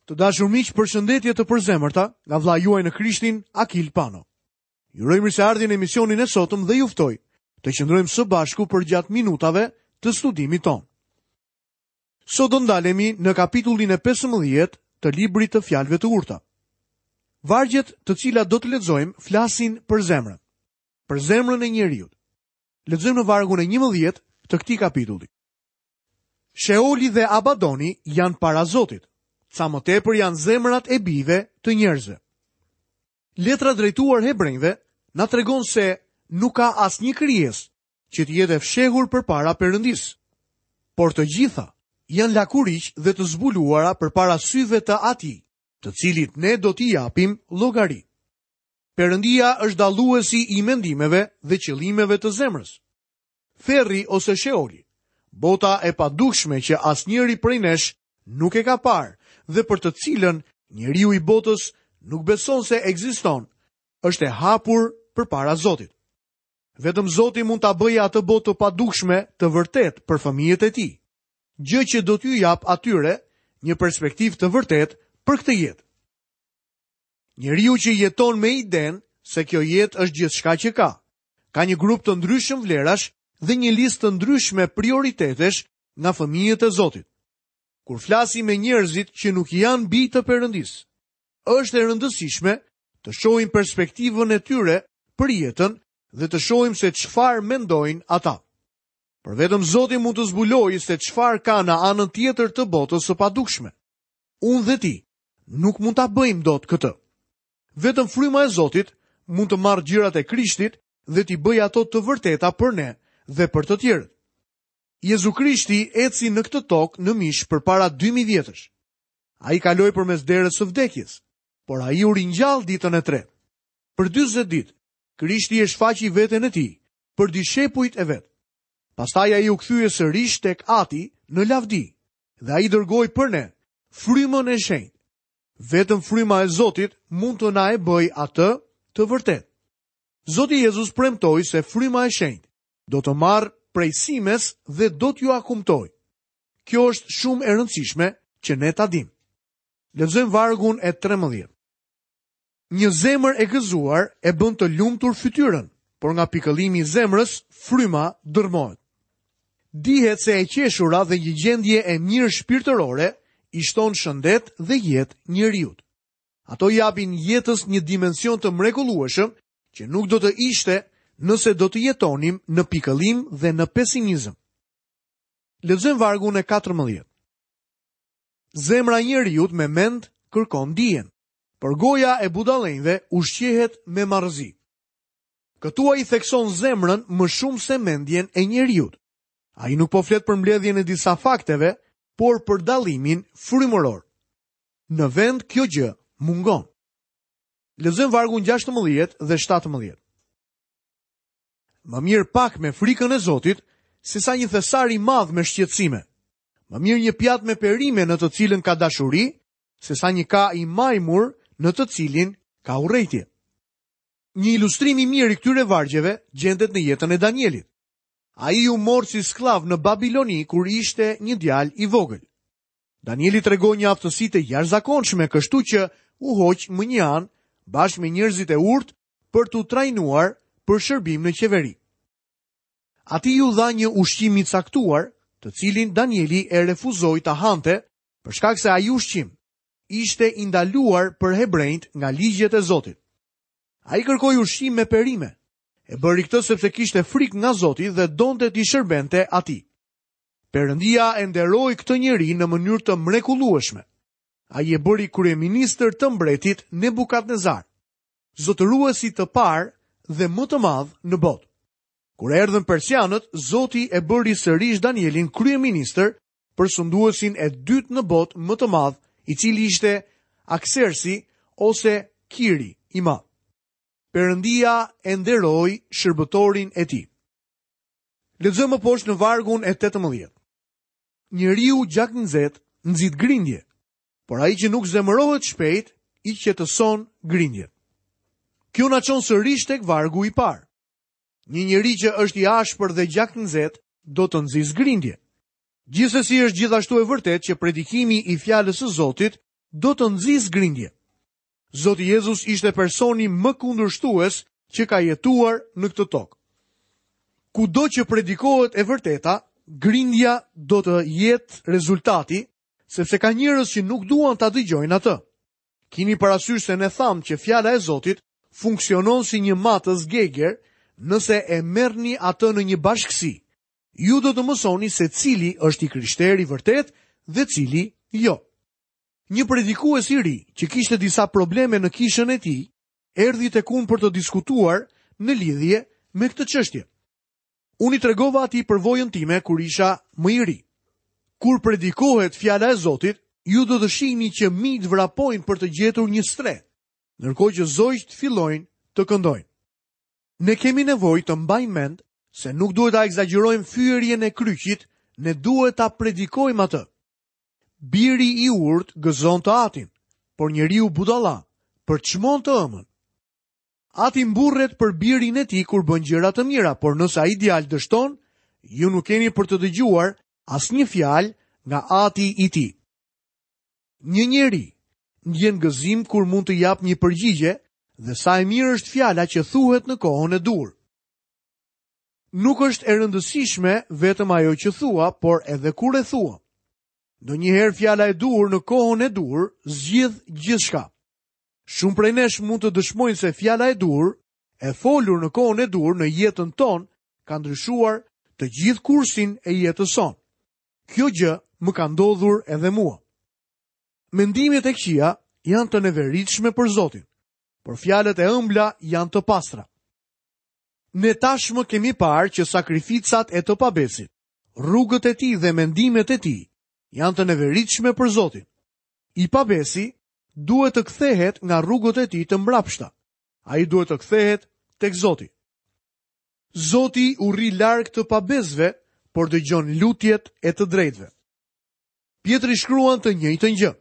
Të dashur miq, përshëndetje të përzemërta nga vëllai juaj në Krishtin, Akil Pano. Ju uroj mirëseardhjen në emisionin e sotëm dhe ju ftoj të qëndrojmë së bashku përgjatë minutave të studimit tonë. Sot do ndalemi në kapitullin e 15 të librit të fjalëve të urta. Vargjet të cilat do të lexojmë flasin për zemrën, për zemrën e njeriut. Lexojmë në vargun e 11 të këtij kapitulli. Sheoli dhe Abadoni janë para Zotit, ca më tepër janë zemrat e bijve të njerëzve. Letra drejtuar hebrenjve na tregon se nuk ka asnjë krijesë që të jetë e fshehur përpara Perëndisë. Por të gjitha janë lakuriq dhe të zbuluara përpara syve të Atij, të cilit ne do t'i japim llogari. Perëndia është dalluesi i mendimeve dhe qëllimeve të zemrës. Ferri ose Sheoli, bota e padukshme që asnjëri prej nesh nuk e ka parë dhe për të cilën njeriu i botës nuk beson se ekziston, është e hapur përpara Zotit. Vetëm Zoti mund ta bëjë atë botë të padukshme të vërtetë për fëmijët e tij, gjë që do t'u japë atyre një perspektivë të vërtetë për këtë jetë. Njeriu që jeton me idenë se kjo jetë është gjithçka që ka, Ka një grup të ndryshëm vlerash dhe një listë të ndryshme prioritetesh nga fëmijët e Zotit. Kur flasim me njerëzit që nuk janë bij të Perëndisë, është e rëndësishme të shohim perspektivën e tyre për jetën dhe të shohim se çfarë mendojnë ata. Por vetëm Zoti mund të zbulojë se çfarë ka në anën tjetër të botës së padukshme. Unë dhe ti nuk mund ta bëjmë dot këtë. Vetëm fryma e Zotit mund të marrë gjërat e Krishtit dhe t'i bëjë ato të vërteta për ne dhe për të tjerët. Jezu Krishti eci në këtë tokë në mish përpara 2000 vjetësh. Ai kaloi përmes derës së vdekjes, por ai u ringjall ditën e tretë. Për 40 ditë, Krishti e shfaqi veten e tij për dishepujt e vet. Pastaj ai u kthye sërish tek Ati në lavdi dhe ai dërgoi për ne frymën e shenjtë. Vetëm fryma e Zotit mund të na e bëjë atë të vërtetë. Zoti Jezus premtoi se fryma e shenjtë do të marrë prej simes dhe do t'jua kumtojë. Kjo është shumë e rëndësishme që ne ta dimë. Lexojmë vargun e 13. Një zemër e gëzuar e bën të lumtur fytyrën, por nga pikëllimi i zemrës fryma dërrmohet. Dihet se e qeshura dhe një gjendje e mirë shpirtërore i shton shëndet dhe jetë njeriut. Ato i japin jetës një dimension të mrekullueshëm që nuk do të ishte nëse do të jetonim në pikëllim dhe në pesimizëm. Lexojmë vargun e 14. Zemra e njeriut me mend kërkon dijen, por goja e budallenjve ushqehet me marrëzi. Këtu ai thekson zemrën më shumë se mendjen e njeriut. Ai nuk po flet për mbledhjen e disa fakteve, por për dallimin frymëror. Në vend kjo gjë mungon. Lexojmë vargun 16 dhe 17. Më mirë pak me frikën e Zotit, sesa një thesar i madh me shqetësime. Më mirë një pjatë me perime në të cilën ka dashuri, sesa një ka i majmur në të cilin ka urrejtje. Një ilustrim i mirë i këtyre vargjeve gjendet në jetën e Danielit. Ai u mor si skllav në Babiloni kur ishte një djalë i vogël. Danieli tregoi një aftësi të jashtëzakonshme, kështu që u hoq mënjanë bashkë me njerëzit e urtë për t'u trajnuar për shërbim në qeveri. Atij iu dha një ushqim i caktuar, të cilin Danieli e refuzoi ta hante, për shkak se ai ushqim ishte i ndaluar për hebrenjtë nga ligjet e Zotit. Ai kërkoi ushqim me perime. E bëri këtë sepse kishte frikë nga Zoti dhe donte t'i shërbente atij. Perëndia e nderoi këtë njeri në mënyrë të mrekullueshme. Ai e bëri kryeministër të mbretit Nebukadnezar, zotëruesit të parë dhe më të madh në botë. Kur erdhën persianët, Zoti e bëri sërish Danielin kryeministër për sunduesin e dytë në botë më të madh, i cili ishte Aksersi ose Kiri i madh. Perëndia e nderoi shërbëtorin e tij. Lexojmë më poshtë në vargun e 18. Njeriu gjaknxehtë nxit grindje, por ai që nuk zemërohet shpejt i qetëson grindjet. Kjo na çon sërish tek vargu i parë. Një njeri që është i ashpër dhe gjaknxehtë do të nxisë grindje. Gjithsesi është gjithashtu e vërtetë që predikimi i fjalës së Zotit do të nxisë grindje. Zoti Jezus ishte personi më kundërshtues që ka jetuar në këtë tokë. Kudo që predikohet e vërteta, grindja do të jetë rezultati, sepse ka njerëz që nuk duan ta dëgjojnë atë. Kini parasysh se ne thamë që fjala e Zotit funksionon si një matës Geiger nëse e merrni atë në një bashkësi. Ju do të mësoni se cili është i krishterë i vërtetë dhe cili jo. Një predikues i ri që kishte disa probleme në kishën e tij, erdhi tek unë për të diskutuar në lidhje me këtë çështje. Unë i tregova atij përvojën time kur isha më i ri. Kur predikohet fjala e Zotit, ju do të shihni që minjtë vrapojnë për të gjetur një strehë, ndërkohë që zogjtë fillojnë të këndojnë. Ne kemi nevojë të mbajmë mend se nuk duhet ta ekzagjerojmë fyerjen e kryqit, ne duhet ta predikojmë atë. Biri i urtë gëzon të atin, por njeriu budalla përçmon të ëmën. Ati mburret për birin e tij kur bën gjëra të mira, por nëse ai djalë dështon, ju nuk keni për të dëgjuar asnjë fjalë nga ati i tij. Një njeri ndjen gëzim kur mund të japë një përgjigje dhe sa e mirë është fjala që thuhet në kohën e duhur. Nuk është e rëndësishme vetëm ajo që thua, por edhe kur e thua. Ndonjëherë fjala e duhur në kohën e duhur zgjidh gjithçka. Shumë prej nesh mund të dëshmojnë se fjala e duhur, e folur në kohën e duhur në jetën tonë, ka ndryshuar të gjithë kursin e jetës sonë. Kjo gjë më ka ndodhur edhe mua. Mendimet e këqija janë të neveritshme për Zotin, por fjalët e ëmbla janë të pastra. Ne tashmë kemi parë që sakrificat e të pabesit, rrugët e tij dhe mendimet e tij janë të neveritshme për Zotin. I pabesi duhet të kthehet nga rrugët e tij të mbrapshta. Ai duhet të kthehet tek Zoti. Zoti u rri larg të pabesëve, por dëgjon lutjet e të drejtëve. Pjetri shkruan të njëjtën gjë.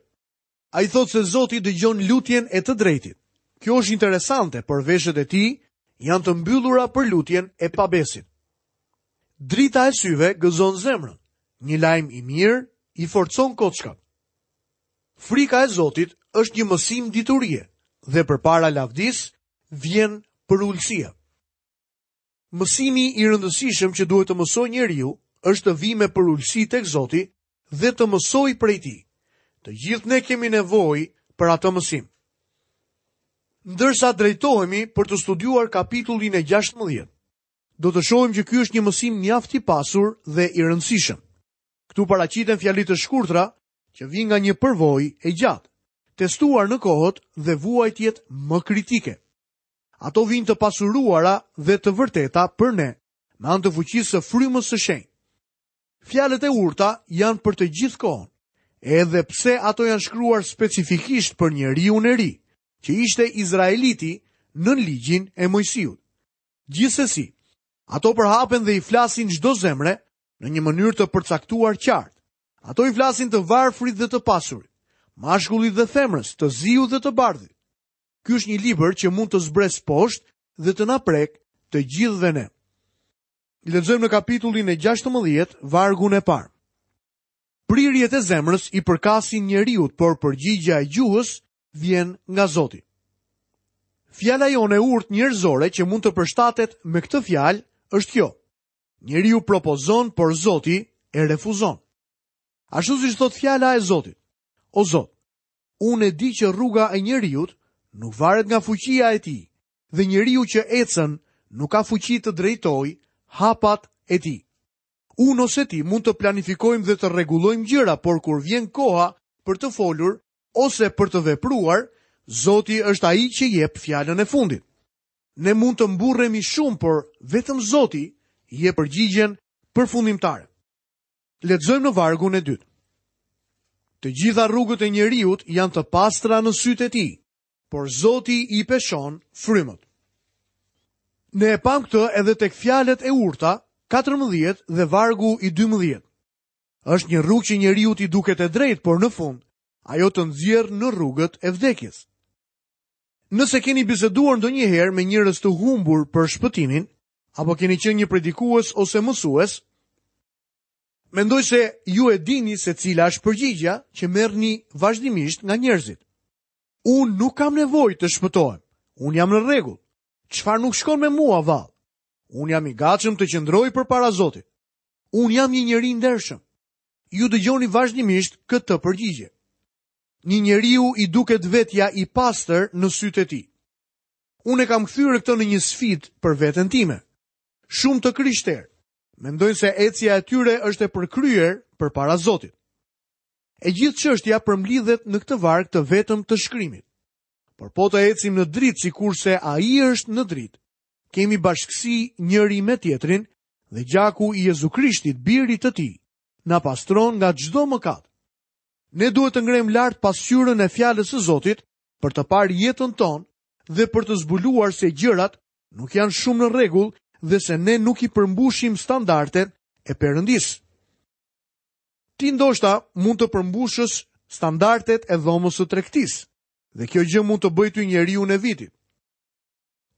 Ai thotë se Zoti dëgjon lutjen e të drejtit. Kjo është interesante, por veshët e tij janë të mbyllura për lutjen e pabesit. Drita e syve gëzon zemrën. Një lajm i mirë i forcon kockat. Frika e Zotit është një mësim diturie dhe përpara lavdisë vjen përulësia. Mësimi i rëndësishëm që duhet të mësojë njeriu është të vijë me përulësi tek Zoti dhe të mësojë prej tij. Të gjithë ne kemi nevojë për atë mësim. Ndërsa drejtohemi për të studiuar kapitullin e 16, do të shohim që ky është një mësim mjaft i pasur dhe i rëndësishëm. Këtu paraqiten fjali të shkurtra që vijnë nga një përvojë e gjatë, testuar në kohët dhe vuajtjet më kritike. Ato vijnë të pasuruara dhe të vërteta për ne, me anë të fuqisë së frymës së shenjtë. Fjalët e urta janë për të gjithë kohën, edhe pse ato janë shkruar specifikisht për njeriun e ri, që ishte izraeliti nën ligjin e Moisiut. Gjithsesi, ato përhapen dhe i flasin çdo zemre në një mënyrë të përcaktuar qartë. Ato i flasin të varfrit dhe të pasurit, mashkullit dhe femrës, të ziut dhe të bardhit. Ky është një libër që mund të zbresë poshtë dhe të na prekë të gjithëve ne. Lexojmë në kapitullin e 16, vargun e parë. Prirjet e zemrës i përkasin njeriut, por përgjigja e gjuhës vjen nga Zoti. Fjala jonë e urtë njerëzore që mund të përshtatet me këtë fjalë është kjo. Njeriu propozon, por Zoti e refuzon. Ashtu siç thotë fjala e Zotit. O Zot, unë e di që rruga e njeriut nuk varet nga fuqia e tij, dhe njeriu që ecën nuk ka fuqi të drejtojë hapat e tij. Unë ose ti mund të planifikojmë dhe të rregullojmë gjëra, por kur vjen koha për të folur ose për të vepruar, Zoti është ai që jep fjalën e fundit. Ne mund të mburremi shumë, por vetëm Zoti jep përgjigjen përfundimtare. Lexojmë në vargun e dytë. Të gjitha rrugët e njeriut janë të pastra në sytë e tij, por Zoti i peshon frymët. Ne e pamë këtë edhe tek fjalët e urta, 14 dhe vargu i 12. Është një rrugë që njeriut i duket e drejtë, por në fund, ajo të nxjerr në rrugët e vdekjes. Nëse keni biseduar ndonjëherë me njerëz të humbur për shpëtimin, apo keni qenë një predikues ose mësues, Mendoj se ju e dini se cila është përgjigja që merrni vazhdimisht nga njerëzit. Unë nuk kam nevojë të shpëtohem. Unë jam në rregull. Çfarë nuk shkon me mua vallë? Unë jam i gatshëm të qëndroj përpara Zotit. Unë jam një njeri i ndershëm. Ju dëgjoni vazhdimisht këtë përgjigje. Një njeriu i duket vetja i pastër në sytë e tij. Unë e kam kthyer këtë në një sfidë për veten time. Shumë të krishterë mendojnë se ecja e tyre është e përkryer përpara Zotit. E gjithë çështja përmblidhet në këtë varg të vetëm të shkrimit. Por po të ecim në dritë sikurse ai është në dritë, kemi bashkësi njëri me tjetrin dhe gjaku i Jezu Krishtit, birit të tij, na pastron nga çdo mëkat. Ne duhet të ngremë lart pasqyrën e fjalës së Zotit për të parë jetën tonë dhe për të zbuluar se gjërat nuk janë shumë në rregull dhe se ne nuk i përmbushim standardet e Perëndisë. Ti ndoshta mund të përmbushësh standardet e dhomës së tregtisë dhe kjo gjë mund të bëjë ty njeriun e vitit.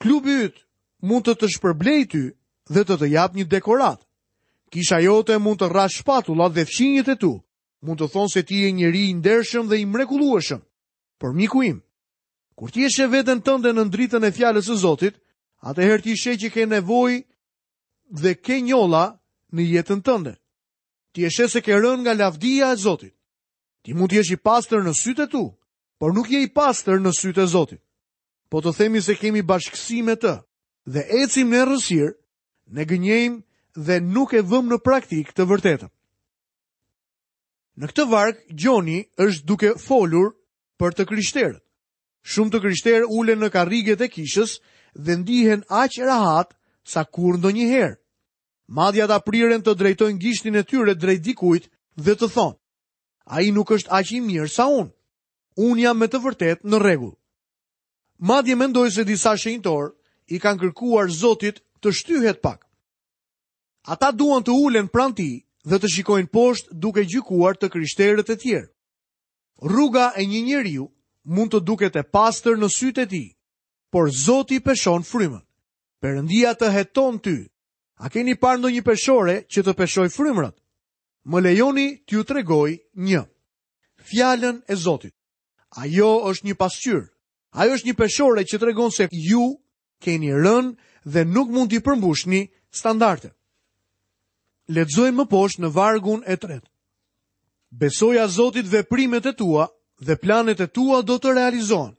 Klubi yt mund të të shpërblejë ty dhe të të japë një dekoratë. Kisha jote mund të rrahë shpatullat dhe fqinjët e tu mund të thonë se ti je njeri i ndershëm dhe i mrekullueshëm. Por miku im, kur ti e sheh veten tënde nën dritën e fjalës së Zotit, atëherë ti sheh që ke nevojë dhe ke njolla në jetën tënde. Ti e sheh se ke rënë nga lavdia e Zotit. Ti mund të jesh i pastër në sytë e tu, por nuk je i pastër në sytë e Zotit. Po të themi se kemi bashkësi me të dhe ecim në errësirë, ne gënjejmë dhe nuk e vëmë në praktikë të vërtetën. Në këtë varg, Gjoni është duke folur për të krishterët. Shumë të krishterë ulen në karriget e kishës dhe ndihen aq rahat sa kurrë ndonjëherë. Madje ata priren të drejtojnë gishtin e tyre drejt dikujt dhe të thonë: Ai nuk është aq i mirë sa unë. Unë jam me të vërtetë në rregull. Madje mendoj se disa shenjtorë i kanë kërkuar Zotit të shtyhet pak. Ata duan të ulen pranë tij dhe të shikojnë poshtë duke gjykuar të krishterët e tjerë. Rruga e një njeriu mund të duket e pastër në sytë e tij, por Zoti peshon frymën. Perëndia të heton ty. A keni parë ndonjë peshore që të peshojë frymërat? Më lejoni t'ju tregoj një. Fjalën e Zotit. Ajo është një pasqyrë. Ajo është një peshore që tregon se ju keni rënë dhe nuk mund t'i përmbushni standardet. Lexojmë më poshtë në vargun e tretë. Besoja Zotit veprimet e tua dhe planet e tua do të realizohen.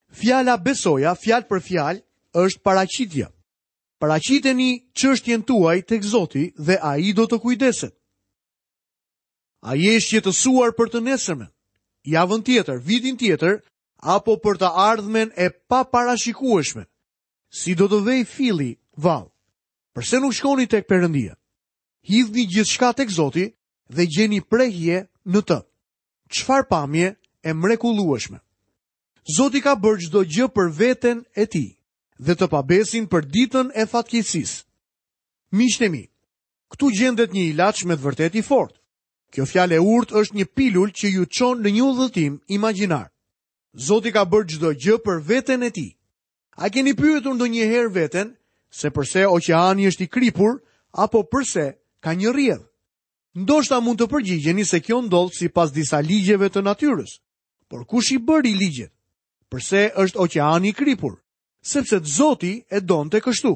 Fjala besoja, fjalë për fjalë, është paraqitja. Paraqiteni çështjen tuaj tek Zoti dhe ai do të kujdeset. A je i shqetësuar për të nesërmen, javën tjetër, vitin tjetër apo për të ardhmen e paparashikueshme? Si do të vejë filli vallë? Përse nuk shkoni tek Perëndia? Hidhni gjithçka tek Zoti dhe gjeni prehje në të. Çfarë pamje e mrekullueshme! Zoti ka bërë çdo gjë për veten e tij dhe të pabesin për ditën e fatkeqësisë. Miqtë e mi, këtu gjendet një ilaç me të vërtetë i fortë. Kjo fjalë e urtë është një pilulë që ju çon në një udhëtim imagjinar. Zoti ka bërë çdo gjë për veten e tij. A keni pyetur ndonjëherë veten se përse oqeani është i kripur apo përse ka një rrjedhë? Ndoshta mund të përgjigjeni se kjo ndodh sipas disa ligjeve të natyrës. Por kush i bëri ligjet? Përse është oqeani i kripur? Sepse Zoti e donte kështu.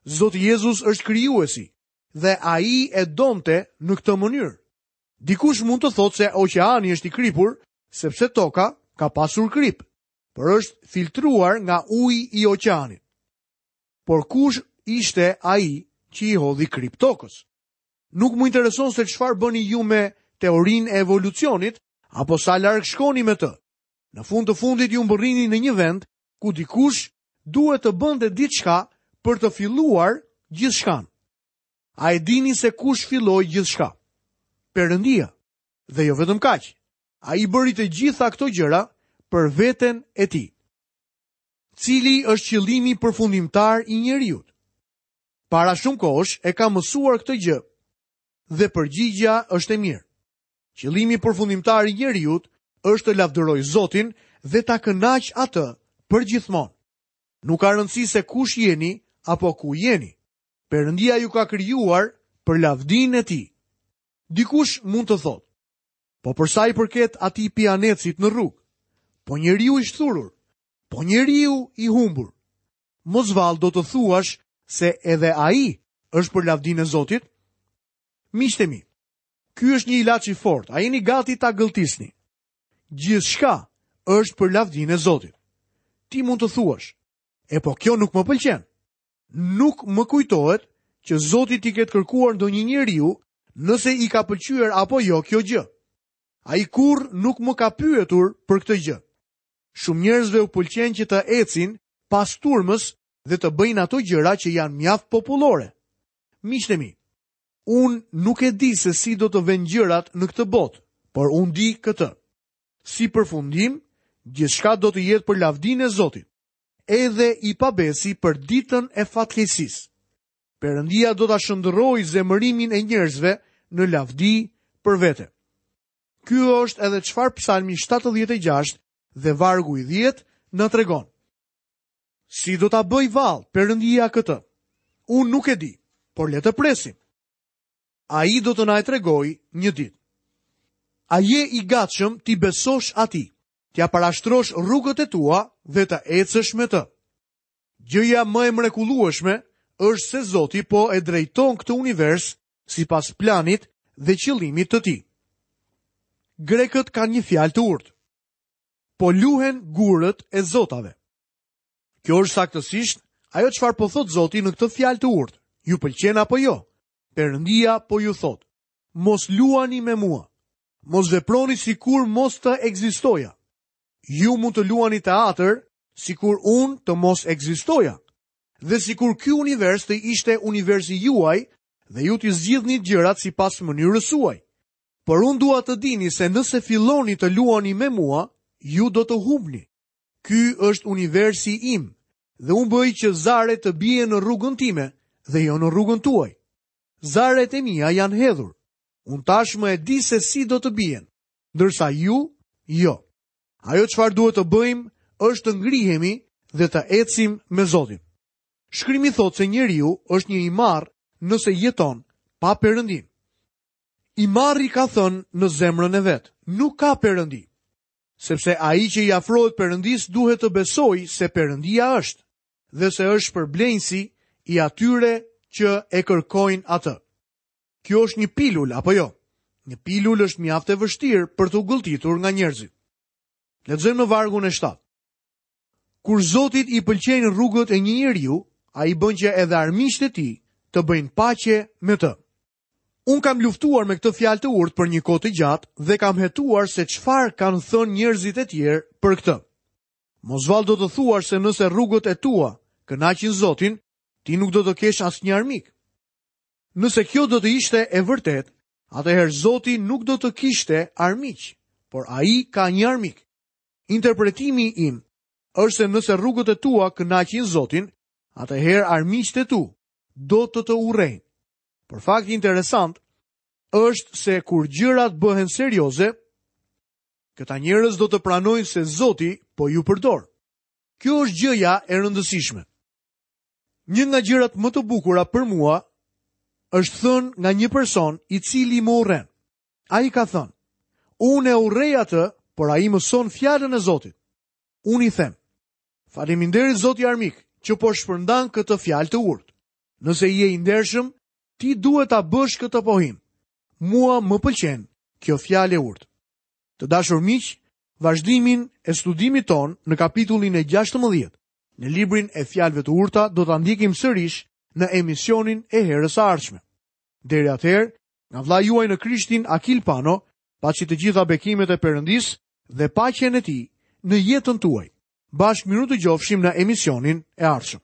Zoti Jezus është krijuesi dhe ai e donte në këtë mënyrë. Dikush mund të thotë se oqeani është i kripur sepse toka ka pasur kripë, por është filtruar nga uji i oqeanit. Por kush ishte ai që i hodhi kripë tokës? Nuk më intereson se çfarë bëni ju me teorinë e evolucionit apo sa larg shkoni me të. Në fund të fundit ju mbërrini në një vend ku dikush duhet të bënte diçka për të filluar gjithçka. A e dini se kush filloi gjithçka? Perëndia. Dhe jo vetëm kaq. Ai bëri të gjitha këto gjëra për veten e tij. Cili është qëllimi përfundimtar i njeriut? Para shumë kohësh e kam mësuar këtë gjë dhe përgjigja është e mirë. Qëllimi përfundimtar i njeriut është të lavdërojë Zotin dhe ta kënaqë atë përgjithmonë. Nuk ka rëndësi se kush jeni apo ku jeni. Perëndia ju ka krijuar për lavdinë e tij. Dikush mund të thotë, po për sa i përket atij pijanecit në rrugë, po njeriu i shthurur, po njeriu i humbur. Mos vallë do të thuash se edhe ai është për lavdinë e Zotit? Miqtë e mi, ky është një ilaç i fortë, a jeni gati ta gëlltisni? Gjithçka është për lavdinë e Zotit. Ti mund të thuash, e po kjo nuk më pëlqen. Nuk më kujtohet që Zoti t'i ketë kërkuar ndonjë njeriu nëse i ka pëlqyer apo jo kjo gjë. Ai kurrë nuk më ka pyetur për këtë gjë. Shumë njerëzve u pëlqen që të ecin pas turmës dhe të bëjnë ato gjëra që janë mjaft popullore. Miqtë e mi, unë nuk e di se si do të venë gjërat në këtë botë, por unë di këtë. Si përfundim, gjithçka do të jetë për lavdinë e Zotit. Edhe i pabesi për ditën e fatkeqësisë. Perëndia do ta shndërrojë zemërimin e njerëzve në lavdi për vete. Ky është edhe çfarë Psalmi 76 dhe vargu i 10 na tregon. Si do ta bëjë vallë Perëndia këtë? Unë nuk e di, por le të presim. Ai do të na e tregojë një ditë. A je i gatshëm t'i besosh atij, t'ia parashtrosh rrugët e tua dhe të ecësh me të? Gjëja më e mrekullueshme është se Zoti po e drejton këtë univers sipas planit dhe qëllimit të tij. Grekët kanë një fjalë të urtë. Po luhen gurët e zotave. Kjo është saktësisht ajo çfarë po thotë Zoti në këtë fjalë të urtë. Ju pëlqen apo jo? Perëndia po ju thotë: Mos luani me mua. Mos veproni sikur mos të ekzistoja. Ju mund të luani teatër sikur unë të mos ekzistoja. Dhe sikur ky univers të ishte universi juaj dhe ju t'i zgjidhnit gjërat sipas mënyrës suaj. Por unë dua të dini se nëse filloni të luani me mua, ju do të humbni. Ky është universi im dhe unë bëj që zaret të bien në rrugën time dhe jo në rrugën tuaj. Zaret e mia janë hedhur. Unë tashmë e di se si do të bien, ndërsa ju jo. Ajo çfarë duhet të bëjmë është të ngrihemi dhe të ecim me Zotin. Shkrimi thotë se njeriu është një i marrë nëse jeton pa Perëndinë. I marri ka thënë në zemrën e vet, nuk ka Perëndi. Sepse ai që i afrohet Perëndisë duhet të besojë se Perëndia është dhe se është shpërblenjësi i atyre që e kërkojnë atë. Kjo është një pilulë apo jo? Një pilulë është mjaft e vështirë për t'u gëlltitur nga njerëzit. Lexojmë në vargun e 7. Kur Zotit i pëlqejnë rrugët e një njeriu, ai bën që edhe armiqtë e tij të bëjnë paqe me të. Unë kam luftuar me këtë fjalë të urtë për një kohë të gjatë dhe kam hetuar se çfarë kanë thënë njerëzit e tjerë për këtë. Mos vallë do të thuash se nëse rrugët e tua kënaqin Zotin, ti nuk do të kesh asnjë armik. Nëse kjo do të ishte e vërtetë, atëherë Zoti nuk do të kishte armiq, por ai ka një armik. Interpretimi im është se nëse rrugët e tua kënaqin Zotin, atëherë armiqtë e tu do të të urrejnë. Por fakti interesant është se kur gjërat bëhen serioze, këta njerëz do të pranojnë se Zoti po ju përdor. Kjo është gjëja e rëndësishme. Një nga gjërat më të bukura për mua është thënë nga një person i cili më urren. Ai ka thënë, unë e urrej atë, por ai mëson fjalën e Zotit. Unë i them, faleminderit zoti armik që po shpërndan këtë fjalë të urtë. Nëse je i ndershëm, ti duhet ta bësh këtë pohim. Mua më pëlqen kjo fjalë e urtë. Të dashur miq, vazhdimin e studimit tonë në kapitullin e 16, në librin e fjalëve të urta do ta ndjekim sërish në emisionin e herës së ardhshme. Deri atëherë, nga vëllai juaj në Krishtin Akil Pano, paçi të gjitha bekimet e Perëndisë dhe paqen e tij në jetën tuaj. Bashkë mirudëgjofshim në emisionin e ardhshëm.